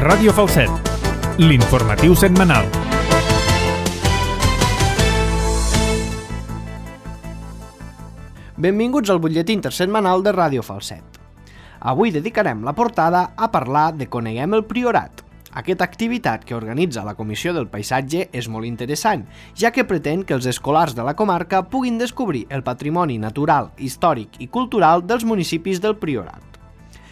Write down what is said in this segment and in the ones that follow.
Ràdio Falset, l'informatiu setmanal. Benvinguts al butlletí intersetmanal de Ràdio Falset. Avui dedicarem la portada a parlar de Coneguem el Priorat. Aquesta activitat que organitza la Comissió del Paisatge és molt interessant, ja que pretén que els escolars de la comarca puguin descobrir el patrimoni natural, històric i cultural dels municipis del Priorat.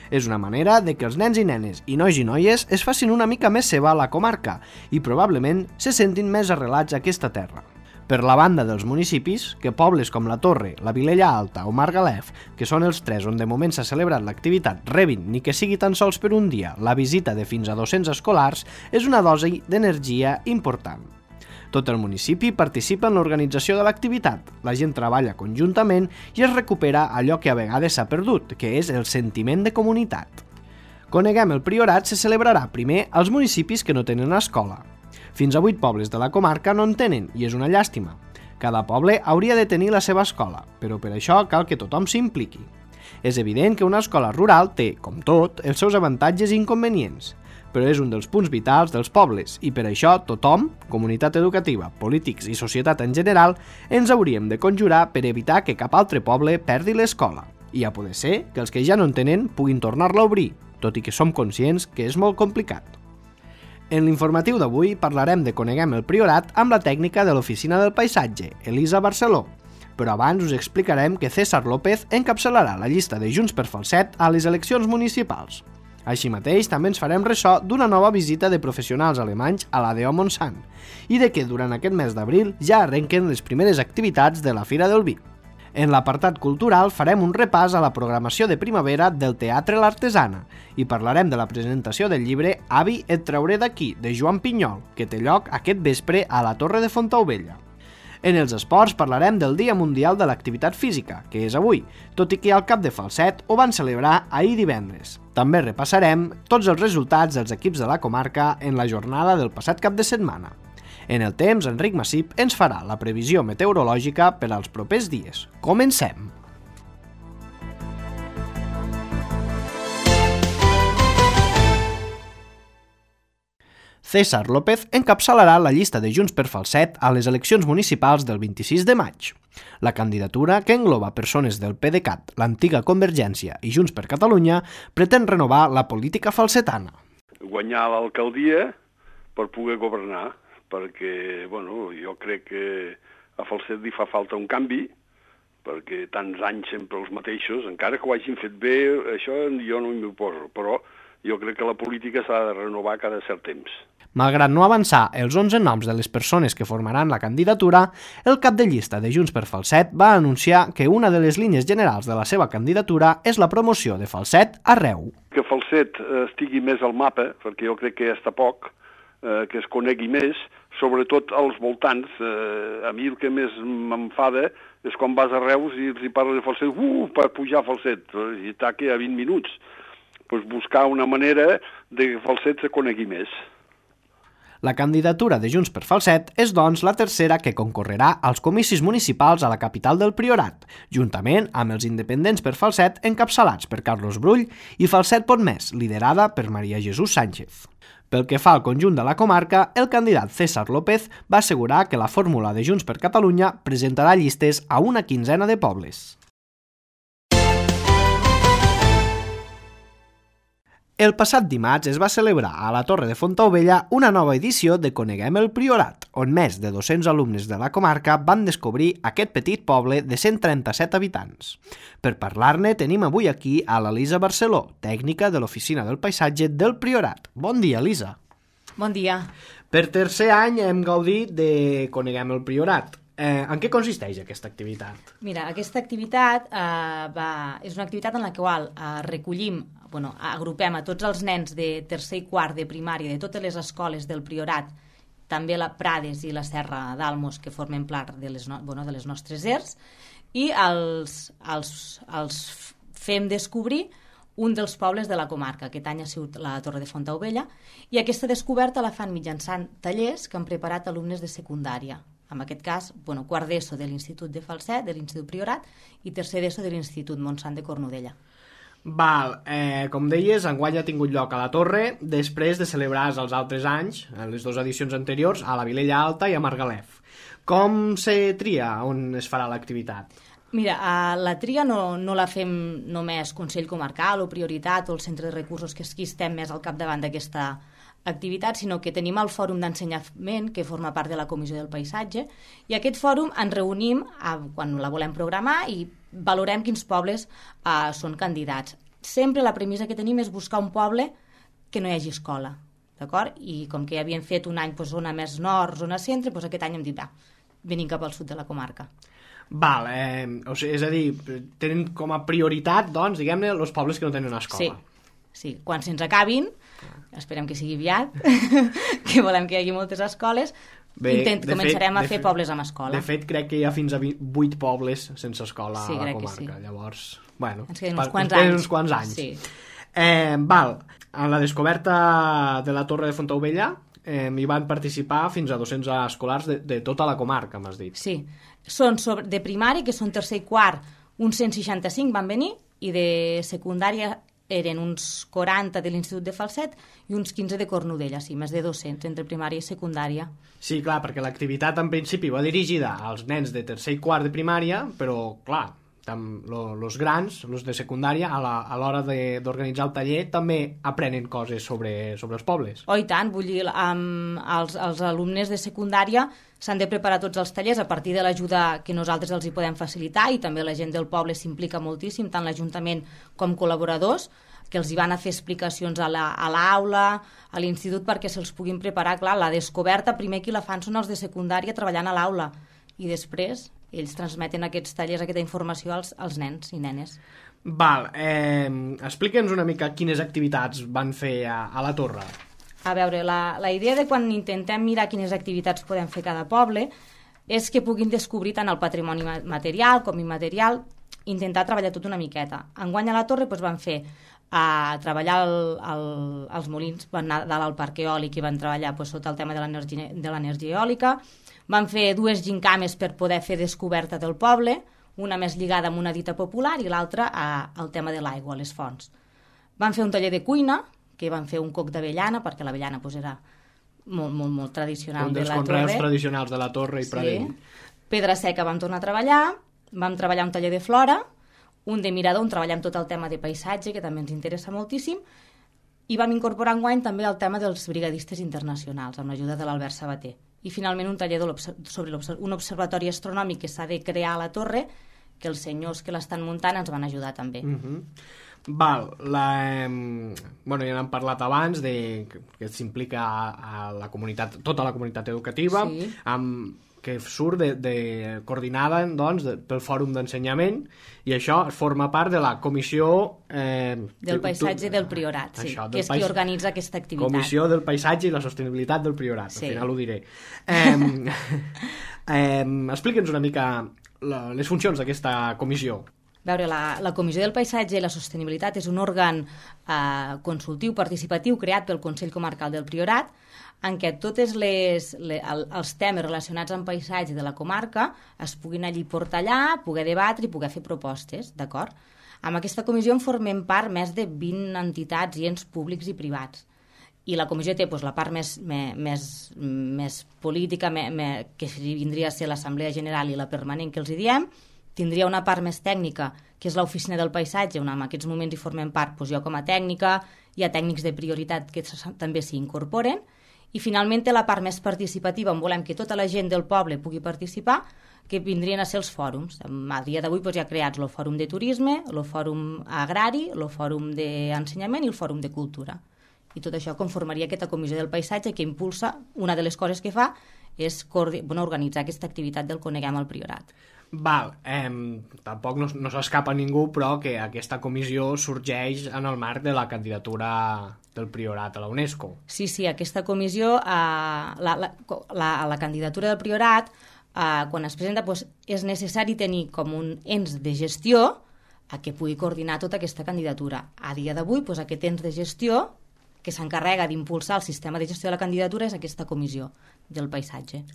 És una manera de que els nens i nenes i nois i noies es facin una mica més seva a la comarca i probablement se sentin més arrelats a aquesta terra. Per la banda dels municipis, que pobles com la Torre, la Vilella Alta o Margalef, que són els tres on de moment s'ha celebrat l'activitat, rebin, ni que sigui tan sols per un dia, la visita de fins a 200 escolars, és una dosi d'energia important. Tot el municipi participa en l'organització de l'activitat, la gent treballa conjuntament i es recupera allò que a vegades s'ha perdut, que és el sentiment de comunitat. Coneguem el Priorat se celebrarà primer als municipis que no tenen escola. Fins a 8 pobles de la comarca no en tenen i és una llàstima. Cada poble hauria de tenir la seva escola, però per això cal que tothom s'impliqui. És evident que una escola rural té, com tot, els seus avantatges i inconvenients, però és un dels punts vitals dels pobles i per això tothom, comunitat educativa, polítics i societat en general, ens hauríem de conjurar per evitar que cap altre poble perdi l'escola. I a poder ser que els que ja no en tenen puguin tornar-la a obrir, tot i que som conscients que és molt complicat. En l'informatiu d'avui parlarem de Coneguem el Priorat amb la tècnica de l'Oficina del Paisatge, Elisa Barceló, però abans us explicarem que César López encapçalarà la llista de Junts per Falset a les eleccions municipals. Així mateix, també ens farem ressò d'una nova visita de professionals alemanys a l'ADO Montsant i de que durant aquest mes d'abril ja arrenquen les primeres activitats de la Fira del Vi. En l'apartat cultural farem un repàs a la programació de primavera del Teatre L'Artesana i parlarem de la presentació del llibre Avi et trauré d'aquí, de Joan Pinyol, que té lloc aquest vespre a la Torre de Fontaubella. En els esports parlarem del Dia Mundial de l'Activitat Física, que és avui, tot i que al Cap de Falset ho van celebrar ahir divendres. També repassarem tots els resultats dels equips de la comarca en la jornada del passat cap de setmana. En el temps, Enric Massip ens farà la previsió meteorològica per als propers dies. Comencem! César López encapçalarà la llista de Junts per Falset a les eleccions municipals del 26 de maig. La candidatura, que engloba persones del PDeCAT, l'antiga Convergència i Junts per Catalunya, pretén renovar la política falsetana. Guanyar l'alcaldia per poder governar, perquè jo crec que a Falset li fa falta un canvi, perquè tants anys sempre els mateixos, encara que ho hagin fet bé, això jo no m'hi oposo, però jo crec que la política s'ha de renovar cada cert temps. Malgrat no avançar els 11 noms de les persones que formaran la candidatura, el cap de llista de Junts per Falset va anunciar que una de les línies generals de la seva candidatura és la promoció de Falset arreu. Que Falset estigui més al mapa, perquè jo crec que ja està poc, que es conegui més, sobretot als voltants. A mi el que més m'enfada és quan vas a Reus i els hi parles de Falset, per pujar a Falset, i està aquí a 20 minuts. Pues buscar una manera de que Falset se conegui més. La candidatura de Junts per Falset és, doncs, la tercera que concorrerà als comicis municipals a la capital del Priorat, juntament amb els independents per Falset encapçalats per Carlos Brull i Falset Pot Més, liderada per Maria Jesús Sánchez. Pel que fa al conjunt de la comarca, el candidat César López va assegurar que la fórmula de Junts per Catalunya presentarà llistes a una quinzena de pobles. El passat dimarts es va celebrar a la Torre de Fontaubella una nova edició de Coneguem el Priorat, on més de 200 alumnes de la comarca van descobrir aquest petit poble de 137 habitants. Per parlar-ne tenim avui aquí a l'Elisa Barceló, tècnica de l'Oficina del Paisatge del Priorat. Bon dia, Elisa. Bon dia. Per tercer any hem gaudit de Coneguem el Priorat. En què consisteix aquesta activitat? Mira, aquesta activitat és una activitat en la qual agrupem a tots els nens de tercer i quart de primària de totes les escoles del Priorat, també la Prades i la Serra d'Almos, que formen part de les nostres ERS, i els fem descobrir un dels pobles de la comarca. Aquest any ha sigut la Torre de Fontaubella, i aquesta descoberta la fan mitjançant tallers que han preparat alumnes de secundària. En aquest cas, quart d'ESO de l'Institut de Falset, de l'Institut Priorat, i tercer d'ESO de l'Institut Montsant de Cornudella. Val, com deies, enguany ha tingut lloc a la Torre després de celebrar els altres anys, les dues edicions anteriors, a la Vilella Alta i a Margalef. Com se tria on es farà l'activitat? Mira, la tria no la fem només Consell Comarcal o Prioritat o el Centre de Recursos, que aquí estem més al capdavant d'aquesta activitat, sinó que tenim el Fòrum d'Ensenyament, que forma part de la Comissió del Paisatge, i aquest fòrum ens reunim quan la volem programar i valorem quins pobles són candidats. Sempre la premissa que tenim és buscar un poble que no hi hagi escola, d'acord? I com que ja havíem fet un any zona més nord, zona centre, aquest any hem dit, venim cap al sud de la comarca. Val, és a dir, tenen com a prioritat, doncs, diguem-ne, els pobles que no tenen escola. Sí, quan se'ns acabin, esperem que sigui aviat, que volem que hi hagi moltes escoles, començarem a fer pobles amb escola. De fet, crec que hi ha fins a 8 pobles sense escola a la comarca. Sí. Llavors, bueno, ens queden uns quants anys. Sí. Val, en la descoberta de la Torre de Fontaubella hi van participar fins a 200 escolars de tota la comarca, m'has dit. Sí, són de primari, que són tercer i quart, uns 165 van venir, i de secundària eren uns 40 de l'Institut de Falset i uns 15 de Cornudella, sí, més de 200 entre primària i secundària. Sí, clar, perquè l'activitat en principi va dirigida als nens de tercer i quart de primària, però, clar, els grans, els de secundària, a l'hora d'organitzar el taller, també aprenen coses sobre els pobles. Oh, i tant, vull dir, els alumnes de secundària s'han de preparar tots els tallers a partir de l'ajuda que nosaltres els hi podem facilitar, i també la gent del poble s'implica moltíssim, tant l'Ajuntament com col·laboradors, que els hi van a fer explicacions a l'aula, a l'institut, perquè se'ls puguin preparar. Clar, la descoberta, primer qui la fan són els de secundària treballant a l'aula, i després ells transmeten aquests tallers, aquesta informació als nens i nenes. Val, explica'ns una mica quines activitats van fer a la Torre. A veure, la idea de quan intentem mirar quines activitats podem fer cada poble és que puguin descobrir tant el patrimoni material com immaterial, intentar treballar tot una miqueta. Enguany a la Torre van fer treballar els molins, van anar dalt al parc eòlic i van treballar sota el tema de l'energia eòlica, van fer 2 gincames per poder fer descoberta del poble, una més lligada amb una dita popular i l'altra al tema de l'aigua, les fonts. Van fer un taller de cuina, que van fer un coc d'avellana, perquè l'avellana era molt, molt, molt tradicional de la Torre. Un dels conreus tradicionals de la Torre i Pradell. Pedra seca vam tornar a treballar, vam treballar un taller de flora, un de mirador, on treballem tot el tema de paisatge, que també ens interessa moltíssim, i vam incorporar enguany també el tema dels brigadistes internacionals, amb l'ajuda de l'Albert Sabater. I finalment un taller sobre un observatori astronòmic que s'ha de crear a la Torre, que els senyors que l'estan muntant ens van ajudar també. Val, bueno, ja n'hem parlat abans que s'implica a la comunitat, tota la comunitat educativa, sí, que surt coordinada, doncs, pel Fòrum d'Ensenyament, i això forma part de la Comissió del Paisatge del Priorat, sí, que és qui organitza aquesta activitat. Comissió del Paisatge i la Sostenibilitat del Priorat, sí. Al final ho diré. Explica'ns una mica les funcions d'aquesta comissió. A veure, la Comissió del Paisatge i la Sostenibilitat és un òrgan consultiu participatiu creat pel Consell Comarcal del Priorat, en què tots els temes relacionats amb paisatge de la comarca es puguin allí portar allà, poder debatre i poder fer propostes, d'acord? Amb aquesta comissió en formem part més de 20 entitats i ens públics i privats. I la comissió té la part més política, que vindria a ser l'Assemblea General i la permanent, que els hi diem. Tindria una part més tècnica, que és l'Oficina del Paisatge, on en aquests moments hi formem part jo com a tècnica, hi ha tècnics de prioritat que també s'hi incorporen, i finalment té la part més participativa, on volem que tota la gent del poble pugui participar, que vindrien a ser els fòrums. A dia d'avui hi ha creats el Fòrum de Turisme, el Fòrum Agrari, el Fòrum d'Ensenyament i el Fòrum de Cultura. I tot això conformaria aquesta Comissió del Paisatge, que impulsa, una de les coses que fa és organitzar aquesta activitat del Coneguem el Priorat. Val, tampoc no s'escapa ningú, però que aquesta comissió sorgeix en el marc de la candidatura del Priorat a la UNESCO. Sí, aquesta comissió, la candidatura del Priorat, quan es presenta, és necessari tenir com un ens de gestió que pugui coordinar tota aquesta candidatura. A dia d'avui, aquest ens de gestió que s'encarrega d'impulsar el sistema de gestió de la candidatura és aquesta comissió del paisatge.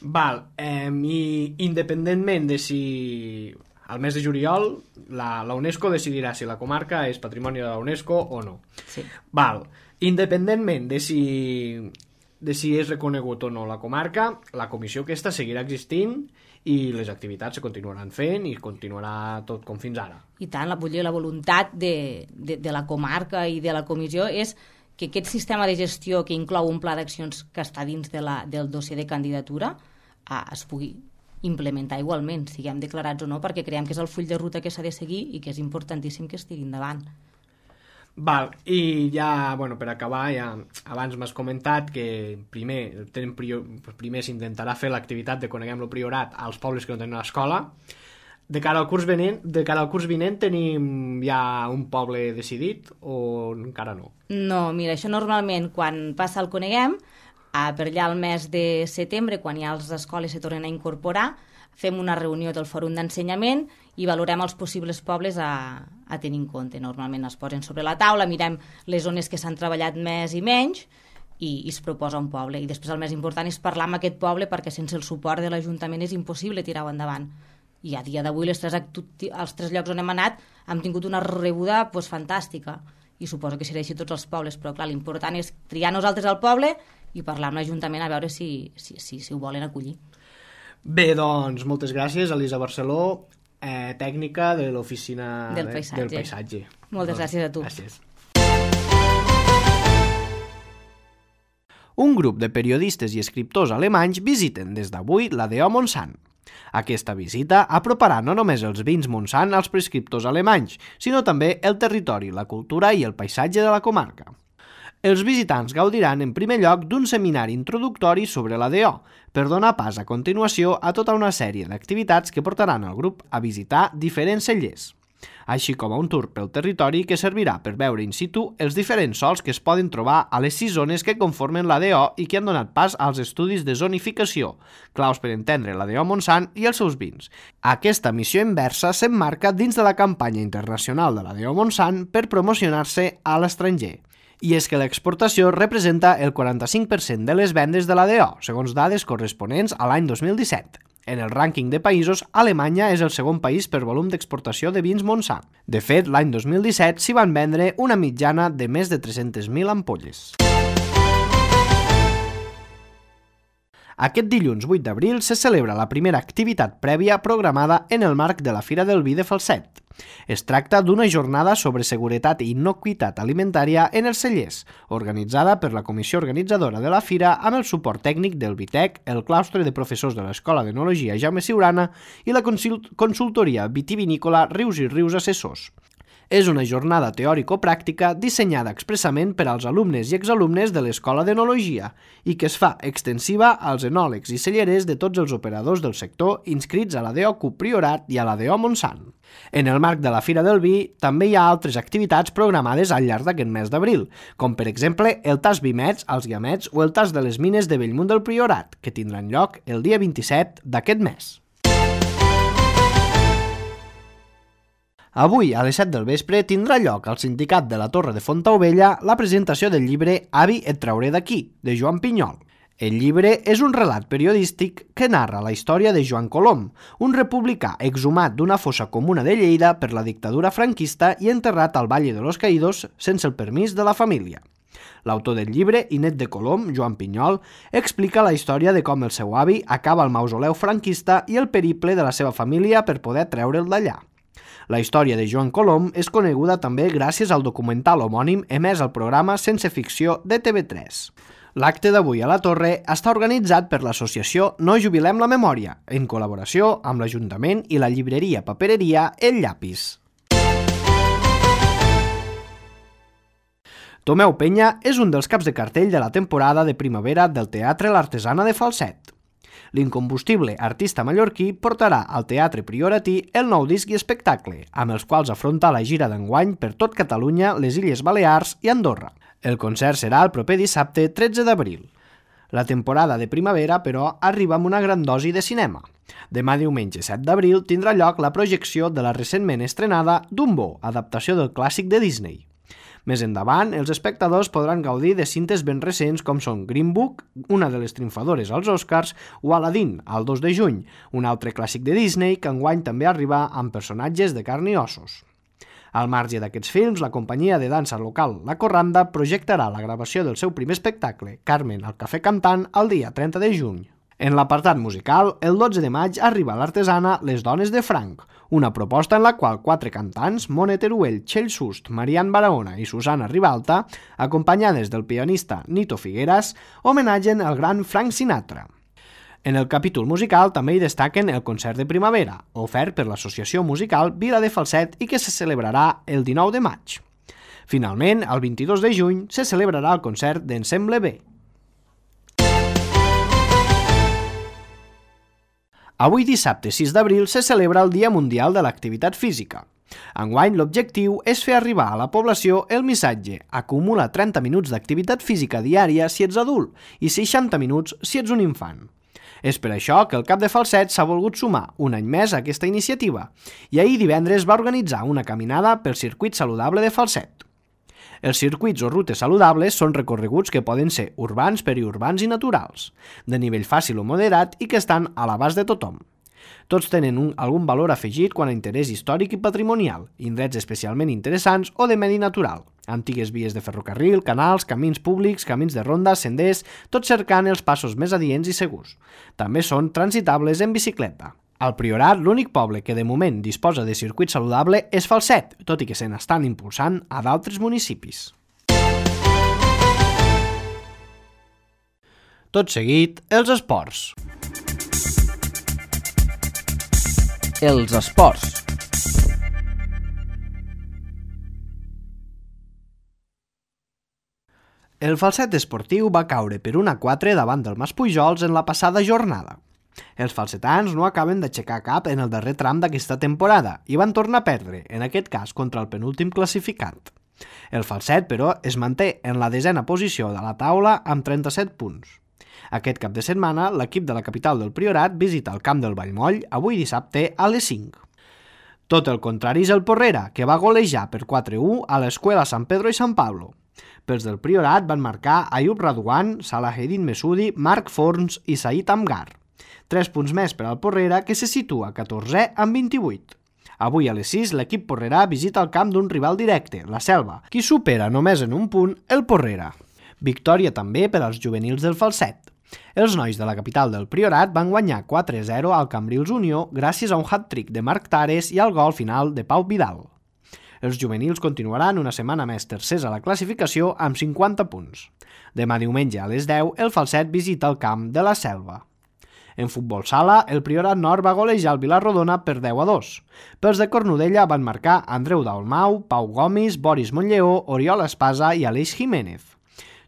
Val, i independentment de si al mes de juliol la UNESCO decidirà si la comarca és patrimoni de la UNESCO o no. Sí. Val. Independentment de si és reconegut o no la comarca, la comissió aquesta seguirà existint i les activitats se continuaran fent i continuarà tot com fins ara. I tant, la voluntat de la comarca i de la comissió és que aquest sistema de gestió que inclou un pla d'accions que està dins del dossier de candidatura es pugui implementar igualment, siguem declarats o no, perquè creiem que és el full de ruta que s'ha de seguir i que és importantíssim que estigui endavant. Val, i ja, per acabar, abans m'has comentat que primer s'intentarà fer l'activitat de Coneguem el Priorat als pobles que no tenen escola. De cara al curs vinent tenim ja un poble decidit o encara no? No, mira, això normalment quan passa el Coneguem, per allà al mes de setembre, quan ja les escoles se tornen a incorporar, fem una reunió del fòrum d'ensenyament i valorem els possibles pobles a tenir en compte. Normalment es posen sobre la taula, mirem les zones que s'han treballat més i menys i es proposa un poble. I després el més important és parlar amb aquest poble perquè sense el suport de l'Ajuntament és impossible tirar-ho endavant. I a dia d'avui els tres llocs on hem anat hem tingut una rebuda fantàstica i suposo que serà així tots els pobles, però clar, l'important és triar nosaltres al poble i parlar amb l'Ajuntament a veure si ho volen acollir. Bé, doncs, moltes gràcies, Elisa Barceló, tècnica de l'Oficina del Paisatge. Moltes gràcies a tu. Gràcies. Un grup de periodistes i escriptors alemanys visiten des d'avui la DO Montsant. Aquesta visita aproparà no només els vins Montsant als prescriptors alemanys, sinó també el territori, la cultura i el paisatge de la comarca. Els visitants gaudiran en primer lloc d'un seminari introductori sobre la DO, per donar pas a continuació a tota una sèrie d'activitats que portaran el grup a visitar diferents cellers, així com a un tour pel territori que servirà per veure in situ els diferents sols que es poden trobar a les 6 zones que conformen la DO i que han donat pas als estudis de zonificació, claus per entendre la DO Montsant i els seus vins. Aquesta missió inversa s'emmarca dins de la campanya internacional de la DO Montsant per promocionar-se a l'estranger. I és que l'exportació representa el 45% de les vendes de la DO, segons dades corresponents a l'any 2017. En el rànquing de països, Alemanya és el segon país per volum d'exportació de vins Montsant. De fet, l'any 2017 s'hi van vendre una mitjana de més de 300.000 ampolles. Aquest dilluns 8 d'abril se celebra la primera activitat prèvia programada en el marc de la Fira del Vi de Falset. Es tracta d'una jornada sobre seguretat i innocuïtat alimentària en els cellers, organitzada per la comissió organitzadora de la fira amb el suport tècnic del Vitec, el claustre de professors de l'Escola d'Enologia Jaume Siurana i la consultoria vitivinícola Rius i Rius Assessors. És una jornada teòrico-pràctica dissenyada expressament per als alumnes i exalumnes de l'Escola d'Enologia i que es fa extensiva als enòlegs i cellerers de tots els operadors del sector inscrits a la DO Priorat i a la DO Montsant. En el marc de la Fira del Vi també hi ha altres activitats programades al llarg d'aquest mes d'abril, com per exemple el tas Vimets als Guiamets o el tas de les mines de Bellmunt del Priorat, que tindran lloc el dia 27 d'aquest mes. Avui, a les 7 del vespre, tindrà lloc al Sindicat de la Torre de Fontaubella la presentació del llibre Avi, et trauré d'aquí, de Joan Pinyol. El llibre és un relat periodístic que narra la història de Joan Colom, un republicà exhumat d'una fossa comuna de Lleida per la dictadura franquista i enterrat al Valle de los Caídos sense el permís de la família. L'autor del llibre, i net de Colom, Joan Pinyol, explica la història de com el seu avi acaba al mausoleu franquista i el periple de la seva família per poder treure'l d'allà. La història de Joan Colom és coneguda també gràcies al documental homònim emès al programa Sense Ficció de TV3. L'acte d'avui a la Torre està organitzat per l'associació No Jubilem la Memòria, en col·laboració amb l'Ajuntament i la llibreria papereria El Llapis. Tomeu Penya és un dels caps de cartell de la temporada de primavera del Teatre L'Artesana de Falset. L'incombustible artista mallorquí portarà al Teatre Prioratí el nou disc i espectacle, amb els quals afronta la gira d'enguany per tot Catalunya, les Illes Balears i Andorra. El concert serà el proper dissabte 13 d'abril. La temporada de primavera, però, arriba amb una gran dosi de cinema. Demà diumenge 7 d'abril tindrà lloc la projecció de la recentment estrenada Dumbo, adaptació del clàssic de Disney. Més endavant, els espectadors podran gaudir de cintes ben recents com són Green Book, una de les triomfadores als Oscars, o Aladdin, el 2 de juny, un altre clàssic de Disney que enguany també arriba amb personatges de carn i ossos. Al marge d'aquests films, la companyia de dansa local La Corranda projectarà la gravació del seu primer espectacle, Carmen al Cafè Cantant, el dia 30 de juny. En l'apartat musical, el 12 de maig arriba l'artesana Les Dones de Franc, una proposta en la qual 4 cantants, Mone Teruel, Txell Sust, Marian Barahona i Susana Ribalta, acompanyades del pianista Nito Figueras, homenatgen el gran Frank Sinatra. En el capítol musical també hi destaquen el concert de primavera, ofert per l'associació musical Vila de Falset i que se celebrarà el 19 de maig. Finalment, el 22 de juny, se celebrarà el concert d'Ensemble B. Avui dissabte 6 d'abril se celebra el Dia Mundial de l'Activitat Física. Enguany l'objectiu és fer arribar a la població el missatge acumula 30 minuts d'activitat física diària si ets adult i 60 minuts si ets un infant. És per això que el CAP de Falset s'ha volgut sumar un any més a aquesta iniciativa i ahir divendres va organitzar una caminada pel circuit saludable de Falset. Els circuits o rutes saludables són recorreguts que poden ser urbans, periurbans i naturals, de nivell fàcil o moderat i que estan a l'abast de tothom. Tots tenen algun valor afegit quant a interès històric i patrimonial, indrets especialment interessants o de medi natural, antigues vies de ferrocarril, canals, camins públics, camins de ronda, senders, tot cercant els passos més adients i segurs. També són transitables en bicicleta. Al Priorat, l'únic poble que de moment disposa de circuit saludable és Falset, tot i que se n'estan impulsant a d'altres municipis. Tot seguit, els esports. Els esports. El Falset esportiu va caure per 1-4 davant del Maspujols en la passada jornada. Els falsetans no acaben d'aixecar cap en el darrer tram d'aquesta temporada i van tornar a perdre, en aquest cas contra el penúltim classificat. El Falset, però, es manté en la 10a posició de la taula amb 37 punts. Aquest cap de setmana, l'equip de la capital del Priorat visita el camp del Vallmoll avui dissabte a les 5. Tot el contrari és el Porrera, que va golejar per 4-1 a l'Escuela San Pedro i San Pablo. Pels del Priorat van marcar Ayub Radwan, Salaheddin Mesudi, Marc Forns i Said Amgar. 3 punts més per al Porrera, que se situa 14è amb 28. Avui a les 6 l'equip porrerà visita el camp d'un rival directe, la Selva, qui supera només en un punt el Porrera. Victòria també per als juvenils del Falset. Els nois de la capital del Priorat van guanyar 4-0 al Cambrils Unió gràcies a un hat-trick de Marc Tares i al gol final de Pau Vidal. Els juvenils continuaran una setmana més tercers a la classificació amb 50 punts. Demà diumenge a les 10 el Falset visita el camp de la Selva. En futbol sala, el Priorat Nord va golejar el Vilarrodona per 10-2. Pels de Cornudella van marcar Andreu Dalmau, Pau Gomis, Boris Montlleó, Oriol Espasa i Aleix Jiménez.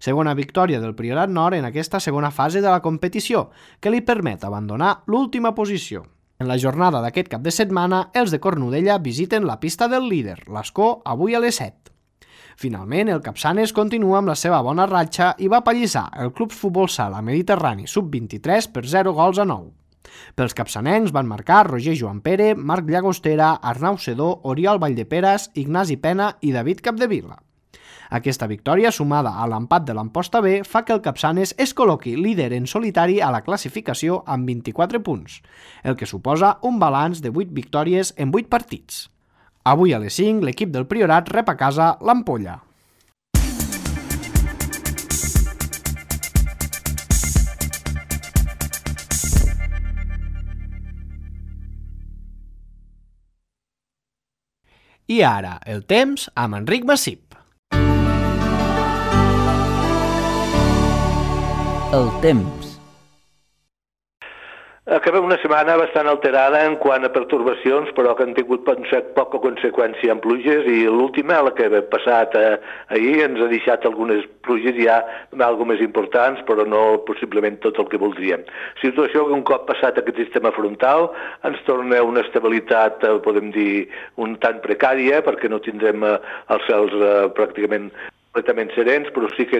Segona victòria del Priorat Nord en aquesta segona fase de la competició, que li permet abandonar l'última posició. En la jornada d'aquest cap de setmana, els de Cornudella visiten la pista del líder, l'Escó, avui a les 7. Finalment, el Capçanes continua amb la seva bona ratxa i va pallissar el Club Futbol Sala Mediterrani Sub-23 per 0-9. Pels capçanencs van marcar Roger Joan Pere, Marc Llagostera, Arnau Sedó, Oriol Valldeperes, Ignasi Pena i David Capdevila. Aquesta victòria, sumada a l'empat de l'Amposta B, fa que el Capçanes es col·loqui líder en solitari a la classificació amb 24 punts, el que suposa un balanç de 8 victòries en 8 partits. Avui a les 5, l'equip del Priorat rep a casa l'Ampolla. I ara, el temps amb Enric Massip. El temps. Acabem una setmana bastant alterada en quant a pertorbacions, però que han tingut poca conseqüència en pluges, i l'última, la que ha passat ahir, ens ha deixat algunes pluges ja algo més importants, però no possiblement tot el que voldríem. Situació que un cop passat aquest sistema frontal ens torna una estabilitat, podem dir, un tant precària, perquè no tindrem els cels pràcticament completament serens, però sí que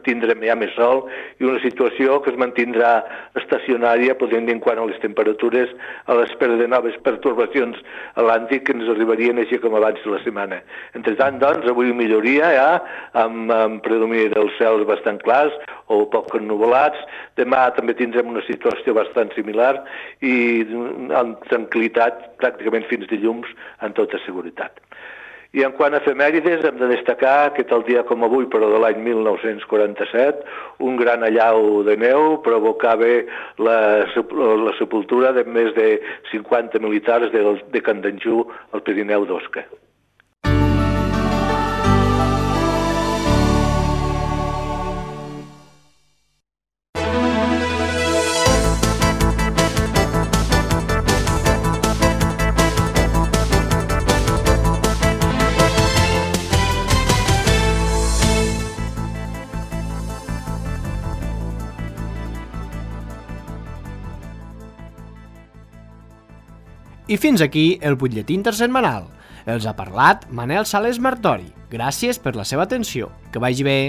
tindrem ja més sol i una situació que es mantindrà estacionària, podem dir, quant a les temperatures, a l'espera de noves pertorbacions atlàntiques que ens arribarien així com abans de la setmana. Entre tant, doncs, avui milloria ja, amb predomini dels cels bastant clars o poc ennuvolats. Demà també tindrem una situació bastant similar i amb tranquil·litat pràcticament fins dilluns amb tota seguretat. I en quant a efemèrides, hem de destacar que tal dia com avui, però de l'any 1947, un gran allau de neu provocava la sepultura de més de 50 militars de Candanjú al Pirineu d'Osca. I fins aquí el butlletí intersetmanal. Els ha parlat Manel Sales Martori. Gràcies per la seva atenció. Que vagi bé.